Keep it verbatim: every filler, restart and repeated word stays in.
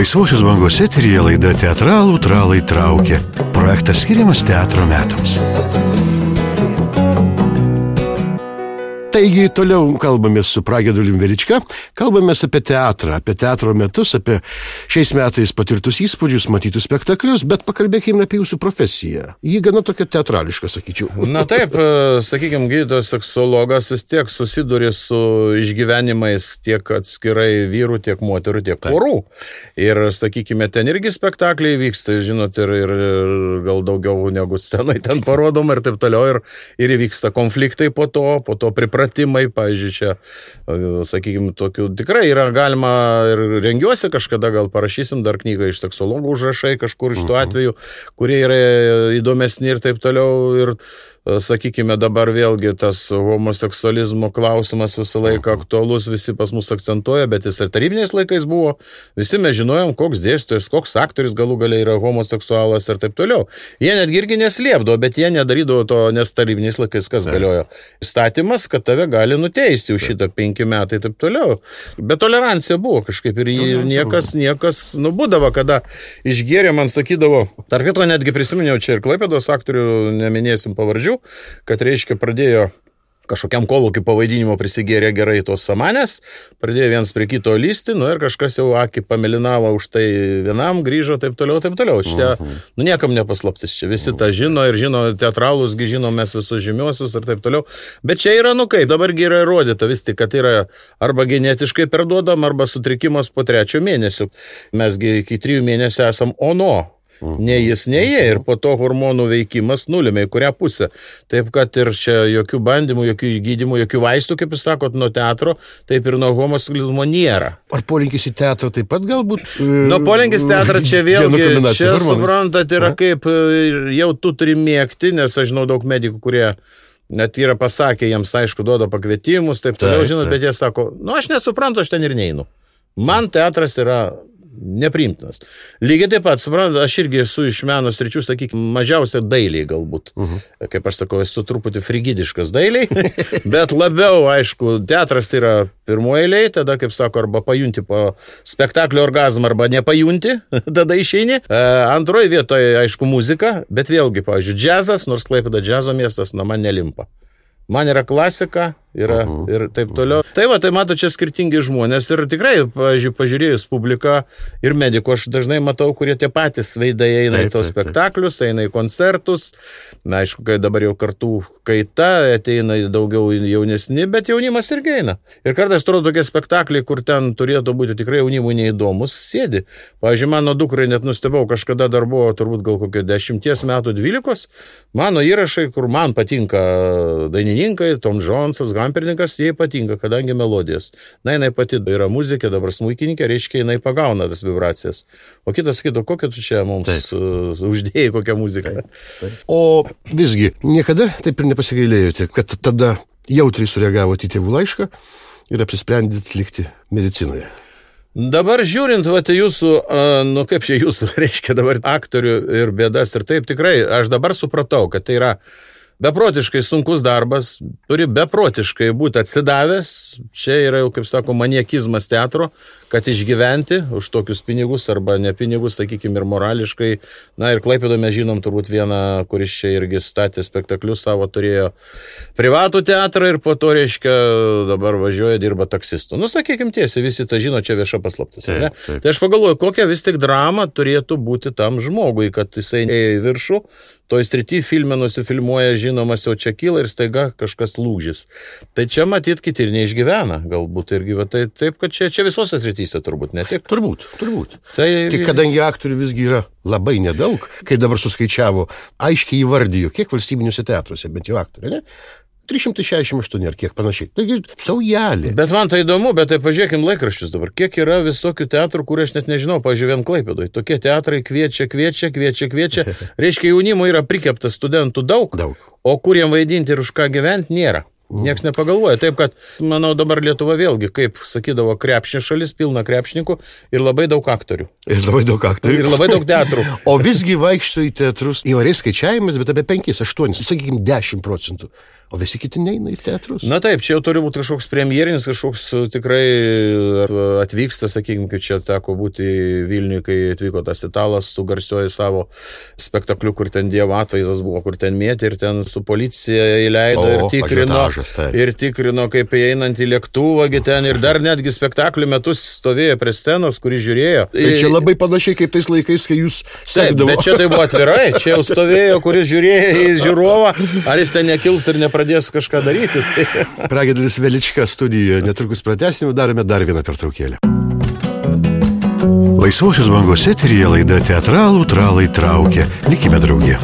Laisvosios bangos eteryje laida Teatralų tralai traukia. Projektas skiriamas teatro metams. Taigi, toliau kalbamės su Pragedulium Velička, kalbamės apie teatrą, apie teatro metus, apie šiais metais patirtus įspūdžius, matytus spektaklius, bet pakalbėkime apie jūsų profesiją. Ji gana tokia teatrališka, sakyčiau. Na taip, sakykime, gydytojas seksuologas vis tiek susiduri su išgyvenimais tiek atskirai vyrų, tiek moterų, tiek porų. Ir, sakykime, ten irgi spektakliai vyksta, žinot, ir, ir gal daugiau negu scenai ten parodoma ir taip toliau. Ir, ir įvyksta konfliktai po to, po to pripratimai. Pratimai, pavyzdžiui, čia, sakykime, tokių tikrai yra galima ir rengiuosi kažkada, gal parašysim dar knygą iš seksologų užrašai kažkur iš tų atvejų, kurie yra įdomesni ir taip toliau. Ir sakykime, dabar vėlgi tas homoseksualizmo klausimas visą laiką aktualus, visi pas mus akcentuoja, bet jis ir tarybiniais laikais buvo. Visi mes žinojom, koks dėstytojas, koks aktorius galų galiai yra homoseksualas ir taip toliau. Jie netgi irgi neslėpdavo, bet jie nedarydavo to, nes tarybiniais laikais kas galiojo. Įstatymas, kad tave gali nuteisti už šitą penki metai ir taip toliau. Bet tolerancija buvo kažkaip ir jį niekas, niekas, nu, būdavo, kada išgėrė, man sakydavo, tarp kito netgi prisiminiau čia ir Klaipėdos aktorių, neminėsim pavardžių, kad reiškia pradėjo kažkokiam kolūkiui pavaidinimo prisigėrė gerai tos samanės, pradėjo viens prie kito lysti, nu ir kažkas jau akį pamelinavo už tai vienam, grįžo, taip toliau, taip toliau. Čia, nu, niekam nepaslaptis, čia visi tą žino ir žino, teatralus žino mes visus žymiuosius ir taip toliau. Bet čia yra, nu kaip, dabargi yra įrodyta vis tik, kad yra arba genetiškai perduodam, arba sutrikimas po trečio mėnesio. Mesgi iki trijų mėnesių esam ono. Ne jis, ne jie, ir po to hormonų veikimas nulėmė į kurią pusę. Taip, kad ir čia jokių bandymų, jokių gydymų, jokių vaistų, kaip jūs sakot, nuo teatro, taip ir nuo homoseksualizmo nėra. Ar polinkis į teatrą taip pat galbūt? Nu, polinkis teatrą čia vėlgi, čia suprantat, yra kaip jau tu turi mėgti, nes aš žinau daug medikų, kurie net yra pasakę, jiems aišku duoda pakvietimus, taip toliau, žinot, bet jie sako, nu aš nesuprantu, aš ten ir neinu. Man teatras yra nepriimtinas. Lygiai taip pat, suprantat, aš irgi esu iš meno sričių, sakykime, mažiausia dailiai galbūt. Uh-huh. Kaip aš sakau, esu truputį frigidiškas dailiai, bet labiau, aišku, teatras tai yra pirmoji eilė, tada, kaip sako, arba pajunti po spektaklio orgazmą, arba nepajunti, tada išeini. E, antroji vietoje, aišku, muzika, bet vėlgi, pavyzdžiui, džiazas, nors Klaipėda džiazo miestas, na, man nelimpa. Man yra klasika, yra uh-huh. ir taip toliau. Tai va, tai mato čia skirtingi žmonės ir tikrai, pavyzdžiui, pažiūrėjus publiką ir medikų, aš dažnai matau, kurie tie patys veidai eina taip, į tos taip, spektaklius, taip. Eina į koncertus. Na, aišku, kai dabar jau kartų kaita, ateina daugiau jaunesni, bet jaunimas irgi eina. Ir kartais atrodo tokie spektakliai, kur ten turėtų būti tikrai jaunimui neįdomus, sėdi. Pavyzdžiui, mano dukrai net nustebau, kažkada dar buvo turbūt gal kokio dešimties metų, dvylikos, mano įrašai, kur man patinka dainininkai, Tom Jonesas, Gampernikas, jai patinka, kadangi melodijas. Na, jinai pati yra muzikė, dabar smuikininkė, reiškia, jinai pagauna tas vibracijas. O kitas sakytų, kokią tu čia mums uh, uždėjai, kokią muziką. Taip, taip. O visgi, niekada taip ir nepasigailėjote, kad tada jautriai sureagavote į tėvų laišką ir apsisprendėt likti medicinoje. Dabar žiūrint, va, tai jūsų, uh, nu kaip čia jūsų, reiškia dabar aktorių ir bėdas ir taip tikrai, aš dabar supratau, kad tai yra beprotiškai sunkus darbas, turi beprotiškai būti atsidavęs, čia yra jau, kaip sako, maniakizmas teatro, kad išgyventi už tokius pinigus arba ne pinigus, sakykime, ir morališkai. Na ir Klaipėdoje mes žinom turbūt vieną, kuris čia irgi statė spektaklius savo, turėjo privatų teatrą ir po to, reiškia, dabar važiuoja, dirba taksistu. Nu, sakykime tiesiai, visi tą žino, čia vieša paslaptis. Ne? Tai aš pagalvoju, kokia vis tik drama turėtų būti tam žmogui, kad jisai ėjo į viršų, toj srity filme nusifilmuoja, žinomas jau čia kyla ir staiga kažkas lūžis. Tai čia matyt kiti ir neišgyvena, galbūt irgi, va, tai taip, kad čia, čia visose srityse turbūt, ne tik. Turbūt, turbūt. Tai... Tik kadangi aktorių visgi yra labai nedaug, kaip dabar suskaičiavo, aiškiai įvardijo, kiek valstybiniuose teatruose, bent jau aktorių, ne? trys šimtai šešiasdešimt aštuoni ar kiek panašiai. Taigi, saujelė. Bet man tai įdomu, bet tai pažiūrėkim laikraščius dabar. Kiek yra visokių teatrų, kur aš net nežinau, pažiūrėjau, vien Klaipėdoje. Tokie teatrai kviečia, kviečia, kviečia, kviečia. Reiškia, jaunimo yra prikeptas studentų daug, daug. O kur jam vaidinti ir už ką gyventi nėra. Niekas nepagalvoja. Taip, kad, manau, dabar Lietuva vėlgi, kaip sakydavo, krepšinė šalis, pilna krepšininkų ir labai daug aktorių. Ir labai daug aktorių. Ir labai daug teatrų. O visgi vaikšto į teatrus įvairiais skaičiavimis, bet apie penkis, aštuonis, sakykime, dešimt procentų. o visi kiti neina į teatrus. Na taip, čia jau turi būti kažkoks premjerinis, kažkoks tikrai atvyksta, sakykime, kaip čia teko būti Vilniuje, kai atvyko tas italas su garsioji savo spektakliu, kur ten Dievo atvaizdas buvo, kur ten mėtė ir ten su policija įleido o, ir tikrino, ir tikrino, kaip einant į lėktuvą, ten ir dar netgi spektaklio metus stovėjo prie scenos, kuris žiūrėjo. Tai čia labai panašiai kaip tais laikais, kai jūs sekdavo. Taip, bet čia tai buvo atvirai, čia jau stovėjo, kuris žiūrėjo į žiūrovą, ar jis ten nekils ir nepradės kažką daryti. Pragiedėlis Velička studijoje, netrukus pratęsime, darome dar vieną pertraukėlę. Laisvosios bangos eteryje laida Teatralų tralai traukia. Likime drauge.